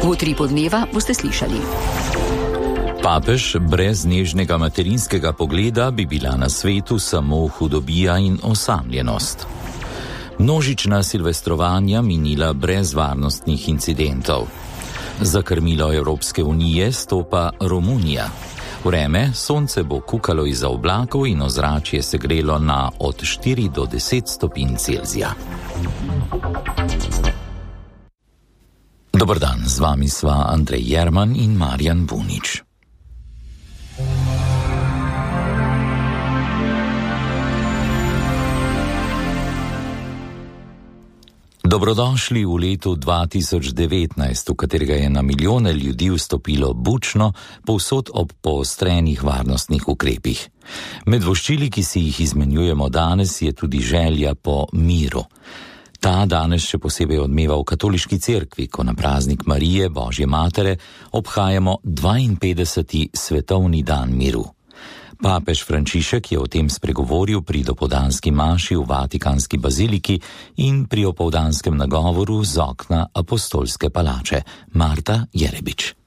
V Utripu dneva boste slišali. Papež brez nežnega materinskega pogleda bi bila na svetu samo hudobija in osamljenost. Množična silvestrovanja minila brez varnostnih incidentov. Za krmilo Evropske unije stopa Romunija. Vreme, sonce bo kukalo izza oblakov in ozračje se grelo na od 4 do 10 stopinj Celzija. Dober dan, z vami sva Andrej Jerman in Marjan Bunič. Dobrodošli v letu 2019, v katerega je na milijone ljudi vstopilo bučno, povsod ob poostrenih varnostnih ukrepih. Med voščili, ki si jih izmenjujemo danes, je tudi želja po miru. Ta danes še posebej odmeva v katoliški cerkvi, ko na praznik Marije, Božje matere, obhajamo 52. svetovni dan miru. Papež Frančišek je o tem spregovoril pri dopoldanski maši v Vatikanski baziliki in pri opoldanskem nagovoru z okna Apostolske palače. Marta Jerebič.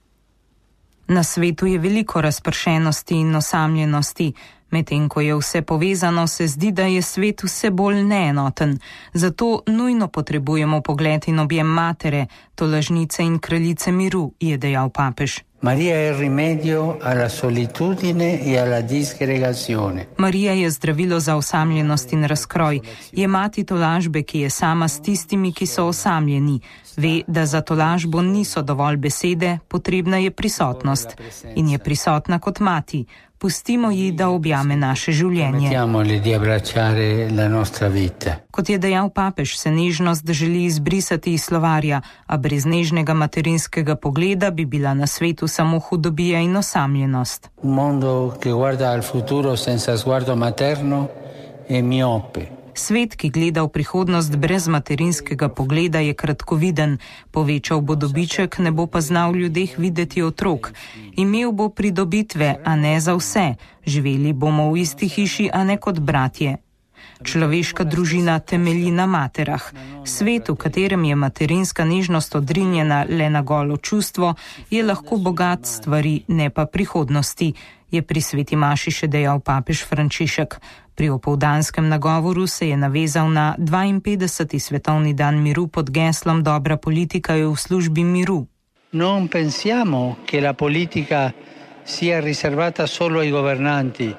Na svetu je veliko razpršenosti in osamljenosti. Medtem ko je vse povezano, se zdi, da je svet vse bolj neenoten. Zato nujno potrebujemo pogled in objem matere, tolažnice in kraljice miru, je dejal papež. Marija je rimedio alla solitudine e alla disgregazione. Marija je zdravilo za osamljenost in razkroj. Je mati tolažbe, ki je sama s tistimi, ki so osamljeni. Ve, da za tolažbo niso dovolj besede, potrebna je prisotnost. In je prisotna kot mati. Pustimo ji, da objame naše življenje. Kot je dejal papež, se nežnost želi izbrisati iz slovarja, a brez nežnega materinskega pogleda bi bila na svetu samo hudobija in osamljenost. Svet, ki gleda v prihodnost brez materinskega pogleda, je kratkoviden. Povečal bo dobiček, ne bo pa znal v ljudeh videti otrok. Imel bo pridobitve, a ne za vse. Živeli bomo v isti hiši, a ne kot bratje. Človeška družina temelji na materah. Svet, v katerem je materinska nežnost odrinjena le na golo čustvo, je lahko bogat stvari, ne pa prihodnosti, je pri sveti maši še dejal papež Frančišek. Pri opoldanskem nagovoru se je navezal na 52. svetovni dan miru pod geslom Dobra politika je v službi miru. Non pensiamo che la politica sia riservata solo ai governanti.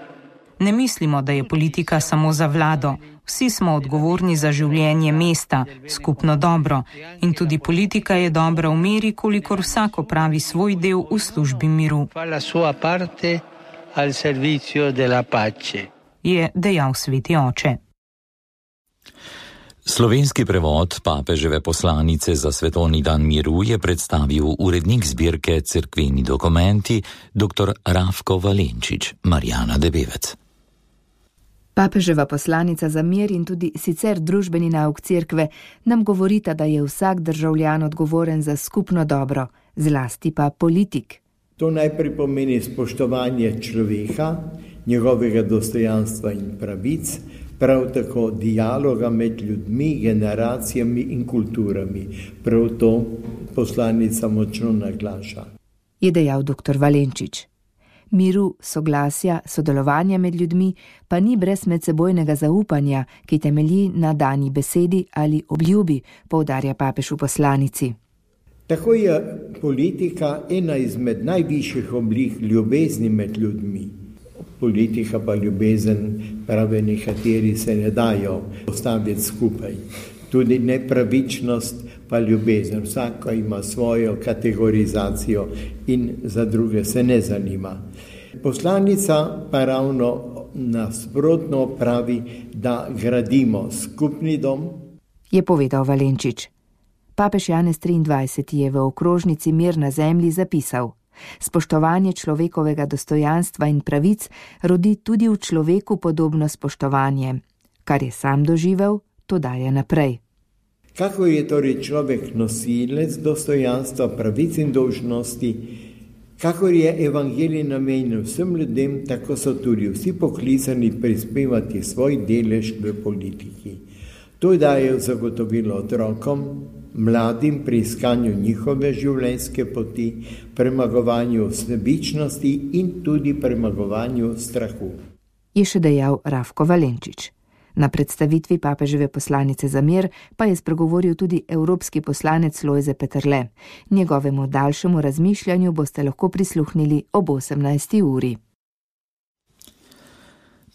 Ne mislimo, da je politika samo za vlado. Vsi smo odgovorni za življenje mesta, skupno dobro. In tudi politika je dobra v meri, kolikor vsak opravi svoj del v službi miru. Je dejal sveti oče. Slovenski prevod papeževe poslanice za svetovni dan miru je predstavil urednik zbirke Cerkveni dokumenti dr. Rafko Valenčič, Marjana Debevec. Papeževa poslanica za mir in tudi sicer družbeni nauk cerkve nam govorita, da je vsak državljan odgovoren za skupno dobro, zlasti pa politik. To najprej pomeni spoštovanje človeka, njegovega dostojanstva in pravic, prav tako dialoga med ljudmi, generacijami in kulturami. Prav to poslanica močno naglaša. Je dejal dr. Valenčič. Miru, soglasja, sodelovanja med ljudmi pa ni brez medsebojnega zaupanja, ki temelji na dani besedi ali obljubi, poudarja papež v poslanici. Tako je politika ena izmed najvišjih oblik ljubezni med ljudmi. Politika pa ljubezen, pravi nekateri, se ne dajo postaviti skupaj. Tudi nepravičnost pa ljubezen. Vsaka ima svojo kategorizacijo in za druge se ne zanima. Poslanica pa ravno nasprotno pravi, da gradimo skupni dom. Je povedal Valenčič. Papež Janez 23. je v okrožnici Mir na zemlji zapisal: spoštovanje človekovega dostojanstva in pravic rodi tudi v človeku podobno spoštovanje. Kar je sam doživel, to daje naprej. Kako je torej človek nosilec dostojanstva, pravic in dolžnosti, kakor je evangelij namenjen vsem ljudem, tako so tudi vsi poklicani prispevati svoj delež v politiki. To daje zagotovilo otrokom, mladim pri iskanju njihove življenjske poti, premagovanju sebičnosti in tudi premagovanju strahu. Je še dejal Rafko Valenčič. Na predstavitvi papeževe poslanice za mir pa je spregovoril tudi evropski poslanec Lojze Peterle. Njegovemu daljšemu razmišljanju boste lahko prisluhnili ob 18. uri.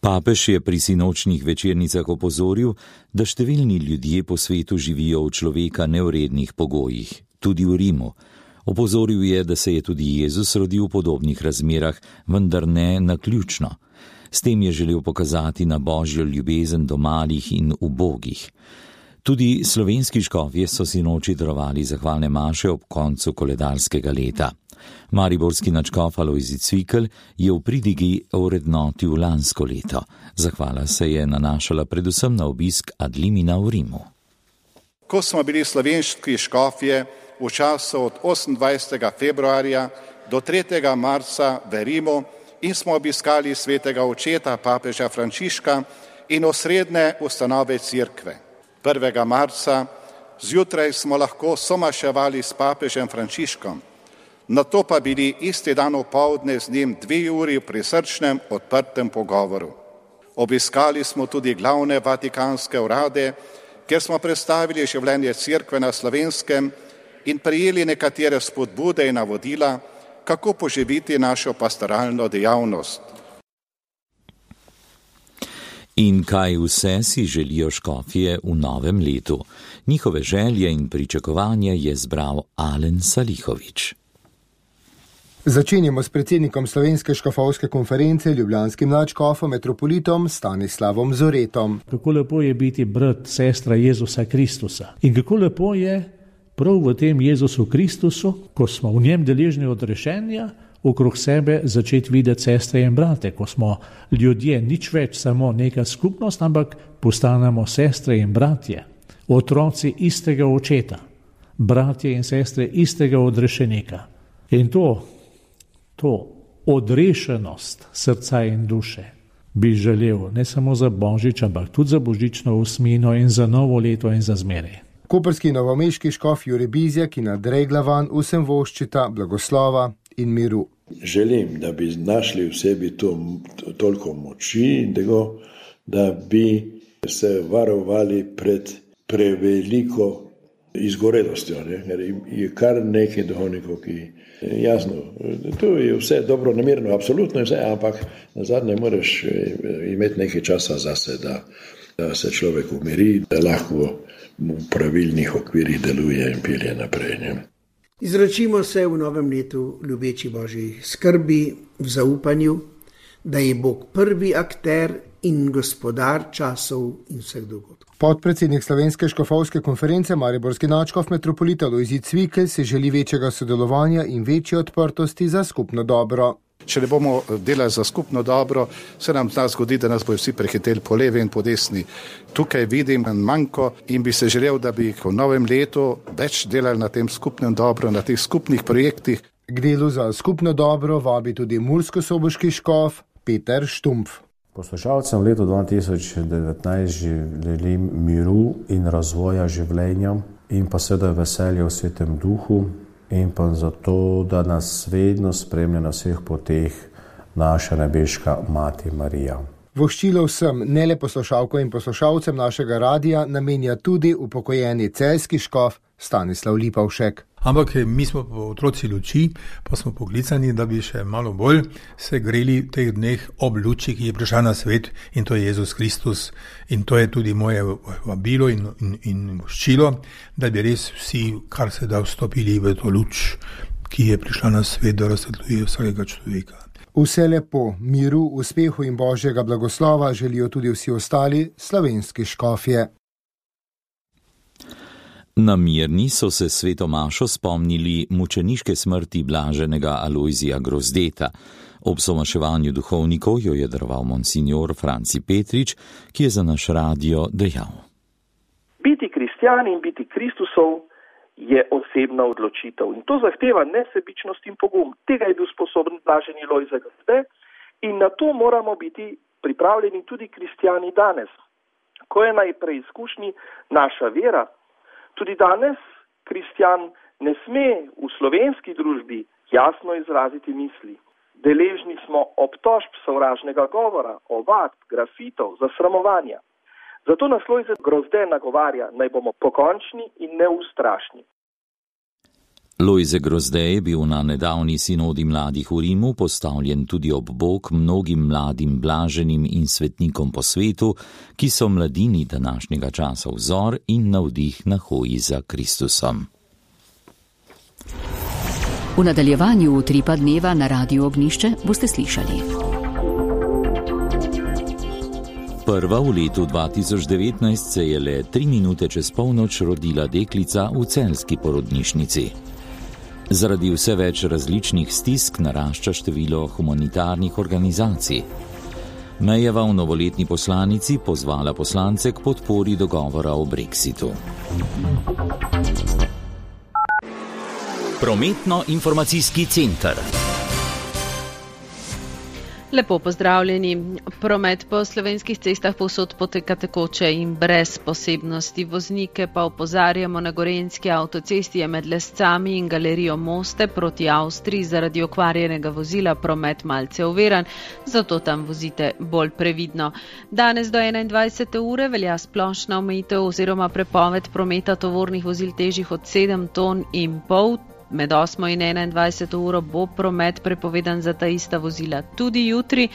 Papež je pri sinočnih večernicah opozoril, da številni ljudje po svetu živijo v človeka nevrednih pogojih, tudi v Rimu. Opozoril je, da se je tudi Jezus rodil v podobnih razmerah, vendar ne naključno. S tem je želel pokazati na božjo ljubezen do malih in ubogih. Tudi slovenski škofje so sinoči darovali zahvalne maše ob koncu koledarskega leta. Mariborski nadškof Alojzij Cvikl je v pridigi ovrednotil lansko leto. Zahvala se je nanašala predvsem na obisk ad limina v Rimu. Ko smo bili slovenski škofje v času od 28. februarja do 3. marca v Rimu in smo obiskali svetega očeta papeža Frančiška in osrednje ustanove cerkve. 1. marca zjutraj smo lahko somaševali s papežem Frančiškom, nato pa bili isti dan opoldne z njim 2 uri v prisrčnem odprtem pogovoru. Obiskali smo tudi glavne vatikanske urade, kjer smo predstavili življenje cerkve na Slovenskem in prejeli nekatere spodbude in navodila, kako poživiti našo pastoralno dejavnost. In kaj vse si želijo škofje v novem letu? Njihove želje in pričakovanja je zbral Alen Salihovič. Začenjamo s predsednikom Slovenske škofovske konference, ljubljanskim nadškofom metropolitom Stanislavom Zoretom. Kako lepo je biti brat, sestra Jezusa Kristusa. In kako lepo je prav v tem Jezusu Kristusu, ko smo v njem deležni odrešenja, okrog sebe začeti videti sestre in brate, ko smo ljudje nič več samo neka skupnost, ampak postanemo sestre in bratje, otroci istega očeta, bratje in sestre istega odrešenika. In to odrešenost srca in duše bi želel ne samo za Božič, ampak tudi za božično osmino in za novo leto in za zmeraj. Koprski novomeški škof Jure Bizjak in Andrej Glavan vsem voščita blagoslova in miru. Želim, da bi našli v sebi toliko moči in tega, da bi se varovali pred preveliko izgorelostjo. Je kar nekaj duhovnikov, ki jasno, to je vse dobro namerno, absolutno vse, ampak nazadnje moraš imeti nekaj časa zase, da se človek umiri, da lahko v pravilnih okvirih deluje in pelje naprej. Izročimo se v novem letu ljubeči Božji skrbi, v zaupanju, da je Bog prvi akter in gospodar časov in vseh dogodkov. Podpredsednik Slovenske škofovske konference, mariborski nadškof metropolit Alojzij Cvikl si želi večjega sodelovanja in večje odprtosti za skupno dobro. Če ne bomo delali za skupno dobro, se nam zgodi, da nas bojo vsi prehiteli po levi in po desni. Tukaj vidim manjko in bi se želel, da bi v novem letu več delali na tem skupnem dobro, na teh skupnih projektih. K delu za skupno dobro vabi tudi murskosoboški škof Peter Štumpf. Poslušalcem v letu 2019 želim miru in razvoja življenja in pa seveda veselje v Svetem Duhu in pa zato, da nas vedno spremlja na vseh poteh naša nebeška Mati Marija. Voščilo vsem, ne le poslušalko in poslušalcem našega radija, namenja tudi upokojeni celjski škof Stanislav Lipovšek. Ampak mi smo otroci luči, pa smo poklicani, da bi še malo bolj se greli v teh dneh ob luči, ki je prišla na svet, in to je Jezus Kristus. In to je tudi moje vabilo in voščilo, da bi res vsi, kar se da, vstopili v to luč, ki je prišla na svet, da razsvetljuje vsakega človeka. Vse lepo, miru, uspehu in božjega blagoslova želijo tudi vsi ostali slovenski škofje. Na Mirni so se sveto mašo spomnili mučeniške smrti blaženega Alojzija Grozdeta. Ob somaševanju duhovnikov jo je daroval monsignor Franci Petrič, ki je za naš radio dejal. Biti kristjan in biti Kristusov je osebna odločitev in to zahteva nesebičnost in pogum. Tega je bil sposoben blaženi Lojze Grozdet in na to moramo biti pripravljeni tudi kristjani danes. ko je na preizkušnji naša vera. Tudi danes kristjan ne sme v slovenski družbi jasno izraziti misli. Deležni smo obtožb sovražnega govora, ovadb, grafitov, zasramovanja. Zato nas Lojze Grozde nagovarja, naj bomo pokončni in neustrašni. Lojze Grozde je bil na nedavni sinodi mladih v Rimu postavljen tudi ob bok mnogim mladim blaženim in svetnikom po svetu, ki so mladini današnjega časa vzor in navdih na hoji za Kristusom. V nadaljevanju Utripa dneva na Radiu Ognjišče boste slišali. Prva v letu 2019 se je le 3 minute čez polnoč rodila deklica v celjski porodnišnici. Zaradi vse več različnih stisk narašča število humanitarnih organizacij. Mejeva v novoletni poslanici pozvala poslance k podpori dogovora o Brexitu. Prometno-informacijski center. Lepo pozdravljeni. Promet po slovenskih cestah povsod poteka tekoče in brez posebnosti. Voznike pa opozarjamo, na Gorenjski avtocesti je med Lescami in galerijo Moste proti Avstriji zaradi okvarjenega vozila promet malce oviran, zato tam vozite bolj previdno. Danes do 21. ure velja splošna omejitev oziroma prepoved prometa tovornih vozil težjih od 7,5 ton. Med 8. in 21. uro bo promet prepovedan za ta ista vozila tudi jutri,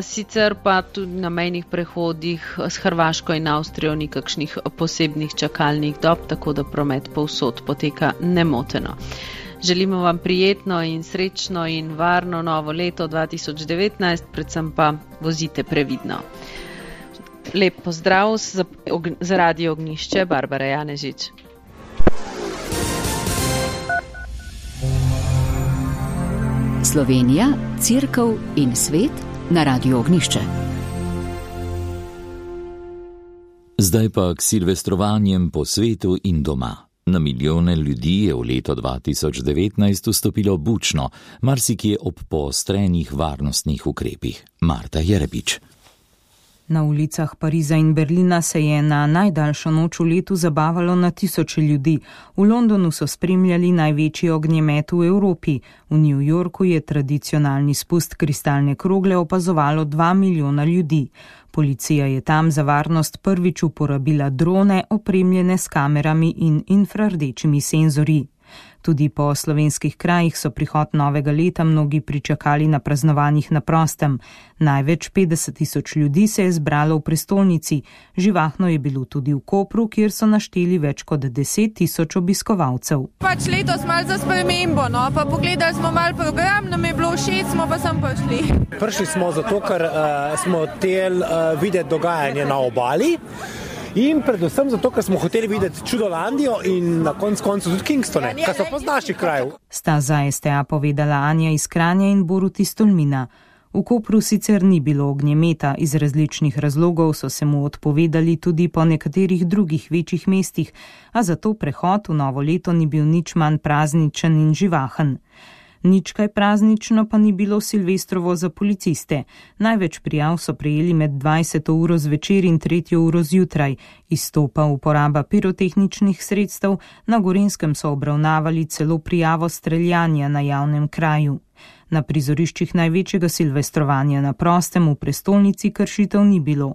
sicer pa tudi na mejnih prehodih s Hrvaško in Avstrijo ni kakšnih posebnih čakalnih dob, tako da promet povsod poteka nemoteno. Želimo vam prijetno in srečno in varno novo leto 2019, predvsem pa vozite previdno. Lep pozdrav za Radio Ognjišče, Barbara Janežič. Slovenija, Cerkev in svet na Radiu Ognjišče. Zdaj pa k silvestrovanjem po svetu in doma. Na milijone ljudi je v leto 2019 vstopilo bučno, marsikje ob poostrenih varnostnih ukrepih. Marta Jerebič. Na ulicah Pariza in Berlina se je na najdaljšo noč v letu zabavalo na tisoče ljudi. V Londonu so spremljali največji ognjemet v Evropi. V New Yorku je tradicionalni spust kristalne krogle opazovalo 2 milijona ljudi. Policija je tam za varnost prvič uporabila drone, opremljene s kamerami in infrardečimi senzorji. Tudi po slovenskih krajih so prihod novega leta mnogi pričakali na praznovanjih na prostem. Največ 50.000 ljudi se je zbralo v prestolnici. Živahno je bilo tudi v Kopru, kjer so našteli več kot 10.000 obiskovalcev. Pač letos malo za spremembo, pa pogledali smo malo program, nam je bilo všeč, smo pa sem prišli. Prišli smo zato, ker smo hoteli videti dogajanje na obali. In predvsem zato, ker smo hoteli videti Čudolandijo in na koncu tudi Kingstone, kar so pa z naših krajev. Sta za STA povedala Anja iz Kranja in Borut iz Tolmina. V Kopru sicer ni bilo ognjemeta, iz različnih razlogov so se mu odpovedali tudi po nekaterih drugih večjih mestih, a zato prehod v novo leto ni bil nič manj prazničen in živahen. Nič kaj praznično pa ni bilo silvestrovo za policiste. Največ prijav so prejeli med 20. uro zvečer in 3. uro zjutraj. Izstopa uporaba pirotehničnih sredstev, na Gorenjskem so obravnavali celo prijavo streljanja na javnem kraju. Na prizoriščih največjega silvestrovanja na prostem v prestolnici kršitev ni bilo.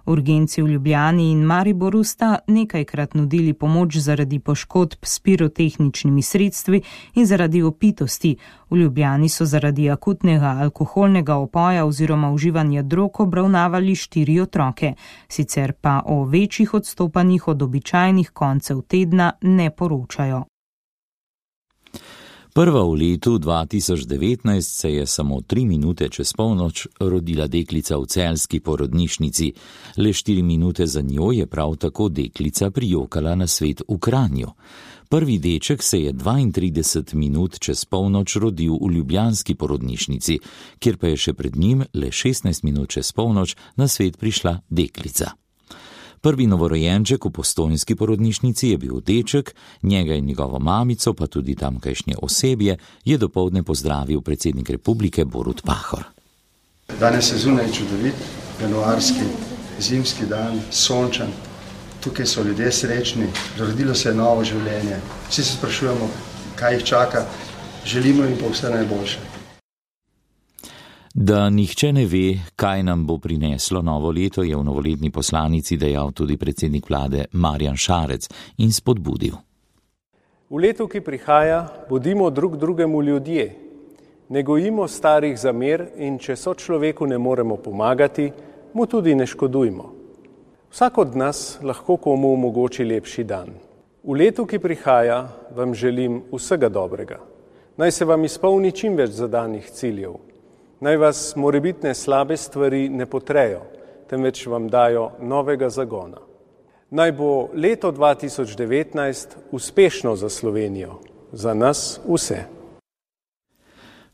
Urgenci v Ljubljani in Mariboru sta nekajkrat nudili pomoč zaradi poškodb s pirotehničnimi sredstvi in zaradi opitosti. V Ljubljani so zaradi akutnega alkoholnega opoja oziroma uživanja drog obravnavali 4 otroke. Sicer pa o večjih odstopanjih od običajnih koncev tedna ne poročajo. Prva v letu 2019 se je samo 3 minute čez polnoč rodila deklica v celjski porodnišnici. Le 4 minute za njo je prav tako deklica prijokala na svet v Kranju. Prvi deček se je 32 minut čez polnoč rodil v ljubljanski porodnišnici, kjer pa je še pred njim le 16 minut čez polnoč na svet prišla deklica. Prvi novorojenček v postojnski porodnišnici je bil deček, njega in njegovo mamico, pa tudi tamkajšnje osebje, je dopoldne pozdravil predsednik republike Borut Pahor. Danes je zunaj čudovit, januarski zimski dan, sončen. Tukaj so ljudje srečni, rodilo se je novo življenje. Vsi se sprašujemo, kaj jih čaka, želimo jim pa vse najboljše. Da nihče ne ve, kaj nam bo prineslo novo leto, je v novoletni poslanici dejal tudi predsednik vlade Marjan Šarec in spodbudil. V letu, ki prihaja, bodimo drug drugemu ljudje. Ne gojimo starih zamer in če sočloveku ne moremo pomagati, mu tudi ne škodujmo. Vsak od nas lahko komu omogoči lepši dan. V letu, ki prihaja, vam želim vsega dobrega. Naj se vam izpolni čim več zadanih ciljev. Naj vas morebitne slabe stvari ne potrejo, temveč vam dajo novega zagona. Naj bo leto 2019 uspešno za Slovenijo, za nas vse.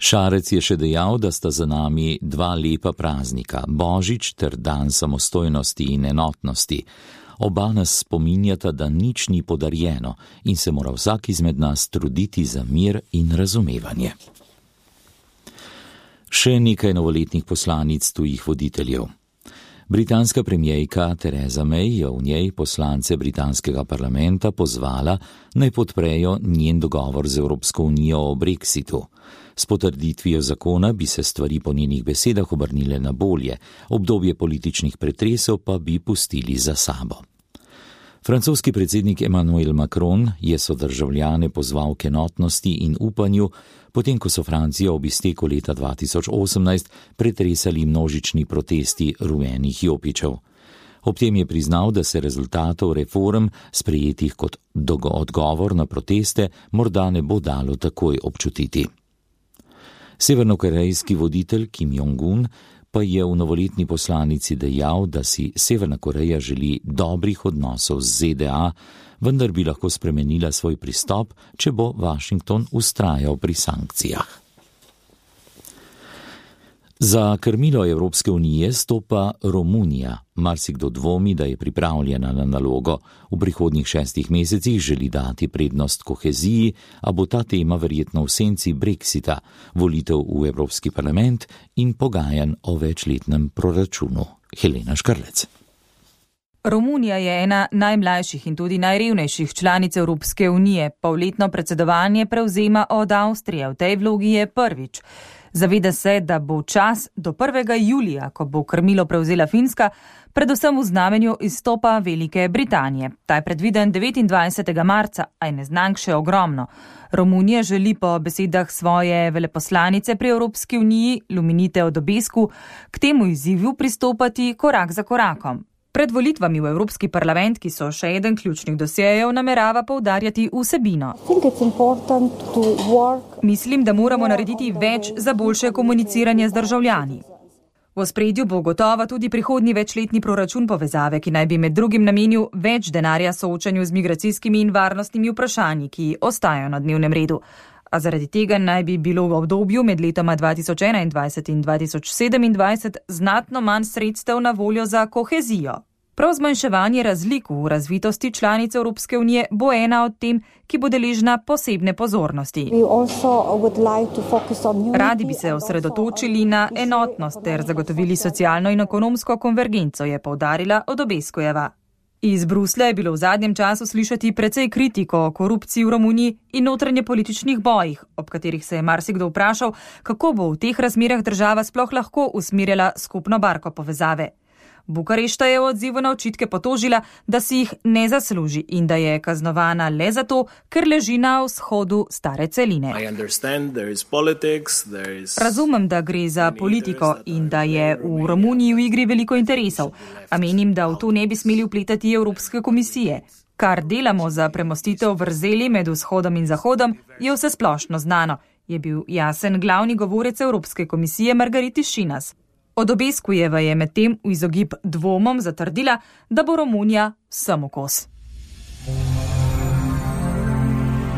Šarec je še dejal, da sta za nami dva lepa praznika, Božič ter dan samostojnosti in enotnosti. Oba nas spominjata, da nič ni podarjeno in se mora vsak izmed nas truditi za mir in razumevanje. Še nekaj novoletnih poslanic tujih voditeljev. Britanska premierka Theresa May je v njej poslance britanskega parlamenta pozvala, naj podprejo njen dogovor z Evropsko unijo o Brexitu. S potrditvijo zakona bi se stvari po njenih besedah obrnile na bolje, obdobje političnih pretresov pa bi pustili za sabo. Francoski predsednik Emmanuel Macron je sodržavljane pozval k enotnosti in upanju, potem ko so Francijo ob izteku leta 2018 pretresali množični protesti rumenih jopičev. Ob tem je priznal, da se rezultatov reform, sprejetih kot odgovor na proteste, morda ne bo dalo takoj občutiti. Severnokorejski voditelj Kim Jong-un pa je v novoletni poslanici dejal, da si Severna Koreja želi dobrih odnosov z ZDA, vendar bi lahko spremenila svoj pristop, če bo Washington vztrajal pri sankcijah. Za krmilo Evropske unije stopa Romunija. Marsikdo dvomi, da je pripravljena na nalogo. V prihodnjih 6 mesecih želi dati prednost koheziji, a bo ta tema verjetno v senci Brexita, volitev v Evropski parlament in pogajanj o večletnem proračunu. Helena Škrlec. Romunija je ena najmlajših in tudi najrevnejših članic Evropske unije. Polletno predsedovanje prevzema od Avstrije. V tej vlogi je prvič. Zaveda se, da bo čas do 1. julija, ko bo krmilo prevzela Finska, predvsem v znamenju izstopa Velike Britanije. Ta je predviden 29. marca, a je neznank še ogromno. Romunija želi po besedah svoje veleposlanice pri Evropski uniji, Luminite Odobescu, k temu izzivu pristopati korak za korakom. Pred volitvami v Evropski parlament, ki so še eden ključnih dosjejev, namerava poudarjati vsebino. Mislim, da moramo narediti več za boljše komuniciranje z državljani. V ospredju bo gotovo tudi prihodnji večletni proračun povezave, ki naj bi med drugim namenil več denarja soočanju z migracijskimi in varnostnimi vprašanji, ki ostajajo na dnevnem redu. A zaradi tega naj bi bilo v obdobju med letoma 2021 in 2027 znatno manj sredstev na voljo za kohezijo. Prav zmanjševanje razlik v razvitosti članic Evropske unije bo ena od tem, ki bo deležna posebne pozornosti. Radi bi se osredotočili na enotnost ter zagotovili socialno in ekonomsko konvergenco, je poudarila Odobeskujeva. Iz Bruslja je bilo v zadnjem času slišati precej kritiko o korupciji v Romuniji in notranje političnih bojih, ob katerih se je marsikdo vprašal, kako bo v teh razmerah država sploh lahko usmerjala skupno barko povezave. Bukarešta je v odzivu na očitke potožila, da si jih ne zasluži in da je kaznovana le zato, ker leži na vzhodu stare celine. Razumem, da gre za politiko in da je v Romuniji v igri veliko interesov, a menim, da v to ne bi smeli vpletati Evropske komisije. Kar delamo za premostitev vrzeli med vzhodom in zahodom, je vse splošno znano, je bil jasen glavni govorec Evropske komisije Margariti Šinas. Odobeskujeva je medtem v izogib dvomom zatrdila, da bo Romunija vsem kos.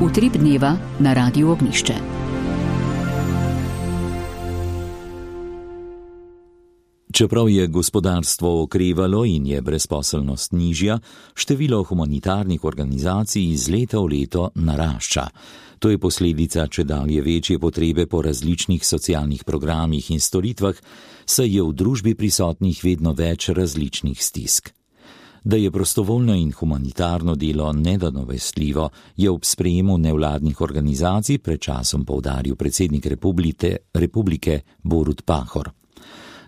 Utrip dneva na Radiu Ognjišče. Čeprav je gospodarstvo okrevalo in je brezposelnost nižja, število humanitarnih organizacij iz leta v leto narašča. To je posledica čedalje večje potrebe po različnih socialnih programih in storitvah, saj je v družbi prisotnih vedno več različnih stisk. Da je prostovoljno in humanitarno delo nenadomestljivo, je ob sprejemu nevladnih organizacij pred časom poudaril predsednik republike Borut Pahor.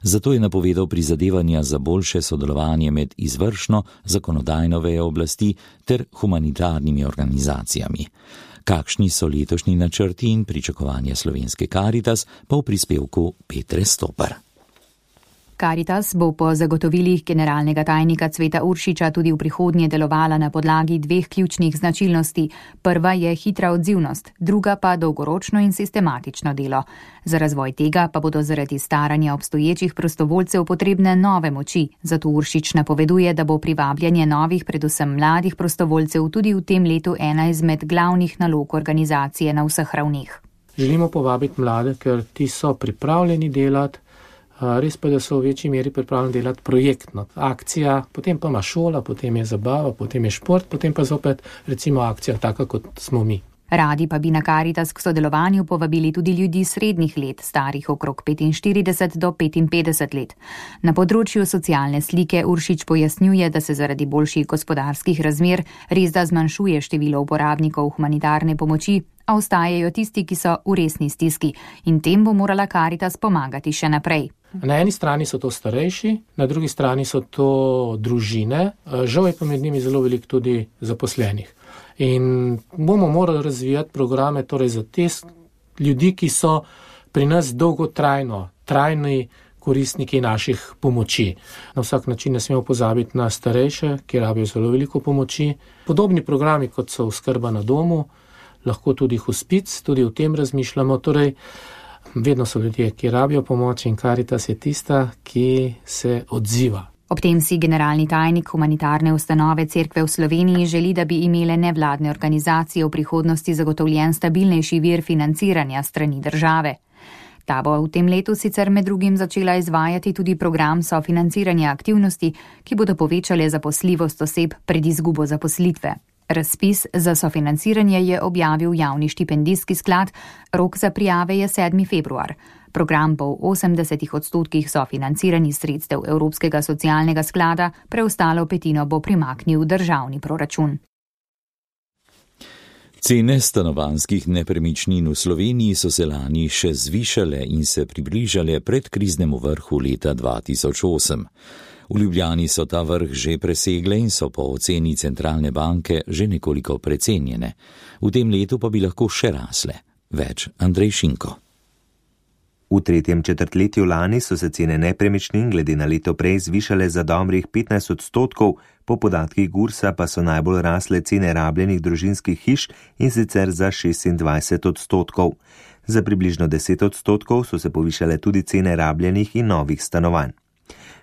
Zato je napovedal prizadevanja za boljše sodelovanje med izvršno, zakonodajno vejo oblasti ter humanitarnimi organizacijami. Kakšni so letošnji načrti in pričakovanja slovenske Karitas, pa v prispevku Petre Stopar. Karitas bo po zagotovilih generalnega tajnika Cveta Uršiča tudi v prihodnje delovala na podlagi dveh ključnih značilnosti. Prva je hitra odzivnost, druga pa dolgoročno in sistematično delo. Za razvoj tega pa bodo zaradi staranja obstoječih prostovoljcev potrebne nove moči, zato Uršič napoveduje, da bo privabljanje novih, predvsem mladih prostovoljcev tudi v tem letu ena izmed glavnih nalog organizacije na vseh ravneh. Želimo povabiti mlade, ker ti so pripravljeni delati. Res pa, da so v večji meri pripravljeni delati projektno. Akcija, potem pa ima šola, potem je zabava, potem je šport, potem pa zopet recimo akcija taka, kot smo mi. Radi pa bi na Karitas k sodelovanju povabili tudi ljudi srednjih let, starih okrog 45 do 55 let. Na področju socialne slike Uršič pojasnjuje, da se zaradi boljših gospodarskih razmer resda zmanjšuje število uporabnikov humanitarne pomoči, a ostajajo tisti, ki so v resni stiski, in tem bo morala Karitas pomagati še naprej. Na eni strani so to starejši, na drugi strani so to družine, žal je pa med njimi zelo veliko tudi zaposlenih. In bomo morali razvijati programe torej za te ljudi, ki so pri nas dolgotrajno, trajni koristniki naših pomoči. Na vsak način ne smemo pozabiti na starejše, ki rabijo zelo veliko pomoči. Podobni programi, kot so oskrba na domu, lahko tudi hospic, tudi o tem razmišljamo. Torej, vedno so ljudje, ki rabijo pomoč, in Karitas je tista, ki se odziva. Ob tem si generalni tajnik humanitarne ustanove Cerkve v Sloveniji želi, da bi imele nevladne organizacije v prihodnosti zagotovljen stabilnejši vir financiranja strani države. Ta bo v tem letu sicer med drugim začela izvajati tudi program sofinanciranja aktivnosti, ki bodo povečale zaposljivost oseb pred izgubo zaposlitve. Razpis za sofinanciranje je objavil javni štipendijski sklad, rok za prijave je 7. februar. Program bo v 80% sofinanciranih sredstev Evropskega socialnega sklada, preostalo petino bo primaknil državni proračun. Cene stanovanjskih nepremičnin v Sloveniji so se lani še zvišale in se približale predkriznemu vrhu leta 2008. V Ljubljani so ta vrh že presegle in so po oceni centralne banke že nekoliko precenjene. V tem letu pa bi lahko še rasle. Več Andrej Šinko. V tretjem četrtletju lani so se cene nepremičnin glede na leto prej zvišale za dobrih 15%, po podatkih Gursa pa so najbolj rasle cene rabljenih družinskih hiš, in sicer za 26%. Za približno 10% so se povišale tudi cene rabljenih in novih stanovanj.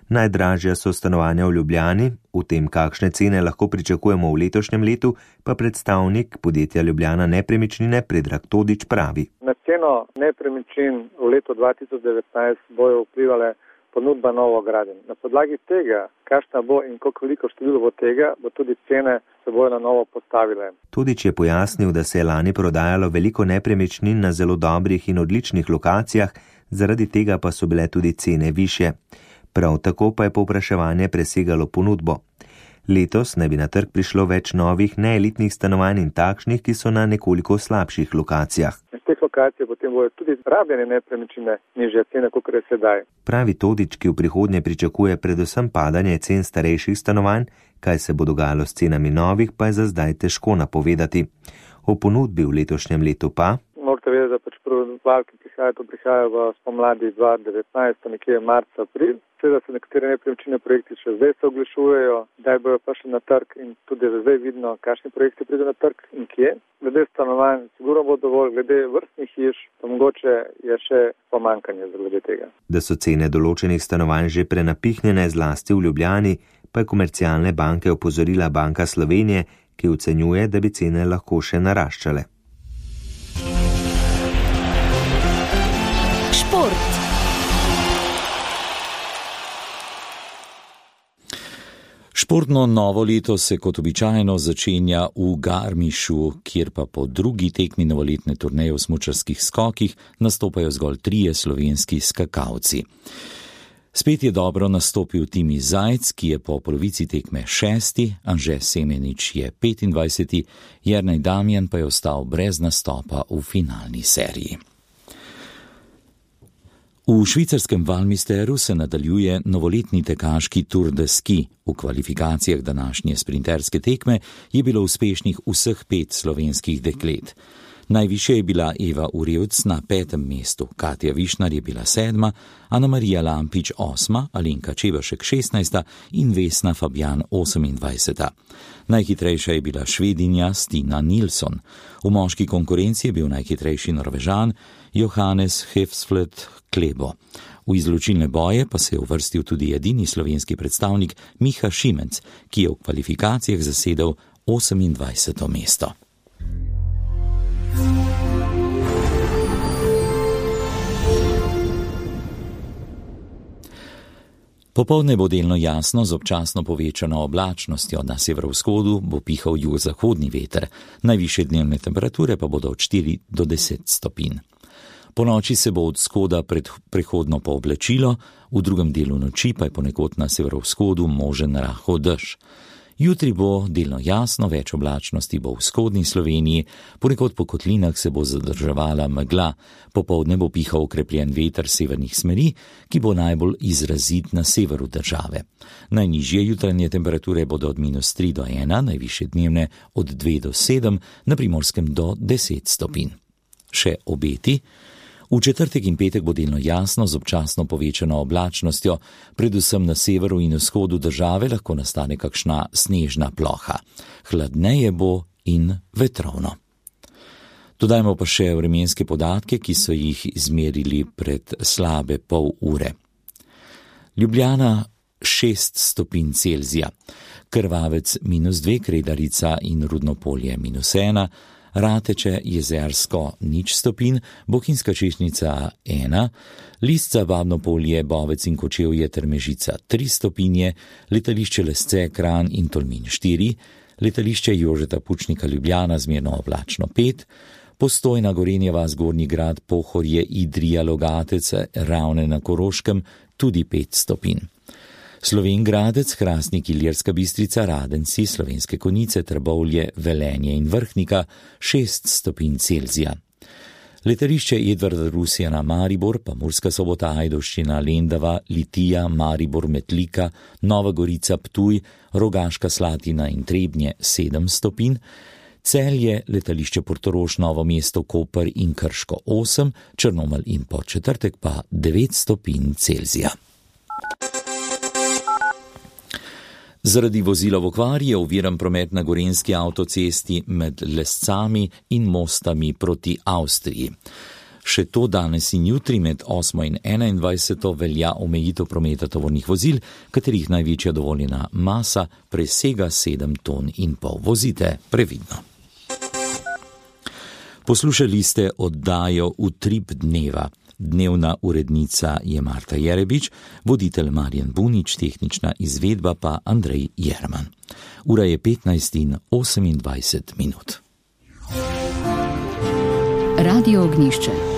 Najdražja so stanovanja v Ljubljani, v tem, kakšne cene lahko pričakujemo v letošnjem letu, pa predstavnik podjetja Ljubljana Nepremičnine Predrag Todič pravi. Na ceno nepremičnin v letu 2019 bojo vplivale ponudba novogradenj. Na podlagi tega, kakšna bo in koliko število bo tega, bo tudi cene se bojo na novo postavile. Todič je pojasnil, da se je lani prodajalo veliko nepremičnin na zelo dobrih in odličnih lokacijah, zaradi tega pa so bile tudi cene višje. Prav tako pa je povpraševanje presegalo ponudbo. Letos naj bi na trg prišlo več novih neelitnih stanovanj in takšnih, ki so na nekoliko slabših lokacijah. Z teh lokacij potem bojo tudi rabljene nepremičnine nižje cene, kot je sedaj. Pravi Todič, ki v prihodnje pričakuje predvsem padanje cen starejših stanovanj, kaj se bo dogajalo s cenami novih, pa je za zdaj težko napovedati. O ponudbi v letošnjem letu pa morate vedeti, da pač prvi val, ki prihajajo v spomladi 2019, nekje marca, april. Seveda se nekatere nepremičnine projekti še zdaj se oglašujejo, kdaj bojo prišli na trg, in tudi zdaj vidno, kakšni projekti pridejo na trg in kje. Glede stanovanj sigurno bo dovolj, glede vrstnih hiš pa mogoče je še pomanjkanje zaradi tega. Da so cene določenih stanovanj že prenapihnjene, zlasti v Ljubljani, pa je komercialne banke opozorila Banka Slovenije, ki ocenjuje, da bi cene lahko še naraščale. Športno novo leto se kot običajno začenja v Garmišu, kjer pa po drugi tekmi novoletne turneje v smučarskih skokih nastopajo zgolj 3 slovenski skakalci. Spet je dobro nastopil Timi Zajc, ki je po polovici tekme 6., Anže Semenič je 25., Jernej Damjan pa je ostal brez nastopa v finalni seriji. V švicarskem Valmisteru se nadaljuje novoletni tekaški Tour de Ski. V kvalifikacijah današnje sprinterske tekme je bilo uspešnih vseh 5 slovenskih deklet. Najvišje je bila Eva Urevc na 5. mestu, Katja Višnar je bila 7., Ana Marija Lampič 8., Alenka Čebašek 16. in Vesna Fabjan 28. Najhitrejša je bila Švedinja Stina Nilsson. V moški konkurenci je bil najhitrejši Norvežan Johannes Hefsflot Klebo. V izločilne boje pa se je uvrstil tudi edini slovenski predstavnik Miha Šimenc, ki je v kvalifikacijah zasedel 28. mesto. Popoldne bo delno jasno z občasno povečano oblačnostjo, na severovzhodu bo pihal jugozahodni veter, najvišje dnevne temperature pa bodo od 4 do 10 stopinj. Po noči se bo od vzhoda prehodno pooblačilo, v drugem delu noči pa je ponekod na severovzhodu možen rahel dež. Jutri bo delno jasno, več oblačnosti bo v vzhodni Sloveniji, ponekod po kotlinah se bo zadrževala megla, popoldne bo pihal okrepljen veter severnih smeri, ki bo najbolj izrazit na severu države. Najnižje jutranje temperature bodo od -3 do 1, najvišje dnevne od 2 do 7, na Primorskem do 10 stopinj. Še obeti. V četrtek in petek bo delno jasno z občasno povečano oblačnostjo, predvsem na severu in vzhodu države lahko nastane kakšna snežna ploha. Hladneje bo in vetrovno. Dodajmo pa še vremenske podatke, ki so jih izmerili pred slabe pol ure. Ljubljana 6 stopinj Celzija, Krvavec -2, Kredarica in Rudnopolje -1, Rateče, Jezersko 0 stopinj, Bohinjska Češnjica 1, Lisca, Babno Polje, Bovec in Kočevje ter Mežica 3 stopinje, letališče Lesce, Kranj in Tolmin 4, letališče Jožeta Pučnika Ljubljana zmerno oblačno 5, Postojna, Gorenjeva, Zgornji Grad, Pohorje, Idrija, Logatec, Ravne na Koroškem tudi 5 stopinj. Slovenj Gradec, Hrastnik, Ilirska Bistrica, Radenci, Slovenske Konjice, Trbovlje, Velenje in Vrhnika 6 stopinj Celzija. Letališče Edvarda Rusjana Maribor, pa Murska Sobota, Ajdovščina, Lendava, Litija, Maribor, Metlika, Nova Gorica, Ptuj, Rogaška Slatina in Trebnje 7 stopinj, Celje, letališče Portorož, Novo mesto, Koper in Krško 8, Črnomelj in Podčetrtek pa 9 stopinj Celzija. Zaradi vozila v okvari je oviran promet na gorenjski avtocesti med Lescami in Mostami proti Avstriji. Še to danes in jutri med 8. in 21. velja omejitev prometa tovornih vozil, katerih največja dovoljena masa presega 7,5 ton. Vozite previdno. Poslušali ste oddajo Utrip dneva. Dnevna urednica je Marta Jerebič, voditelj Marjan Bunič, tehnična izvedba pa Andrej Jerman. Ura je 15:28. Radio Ognjišče.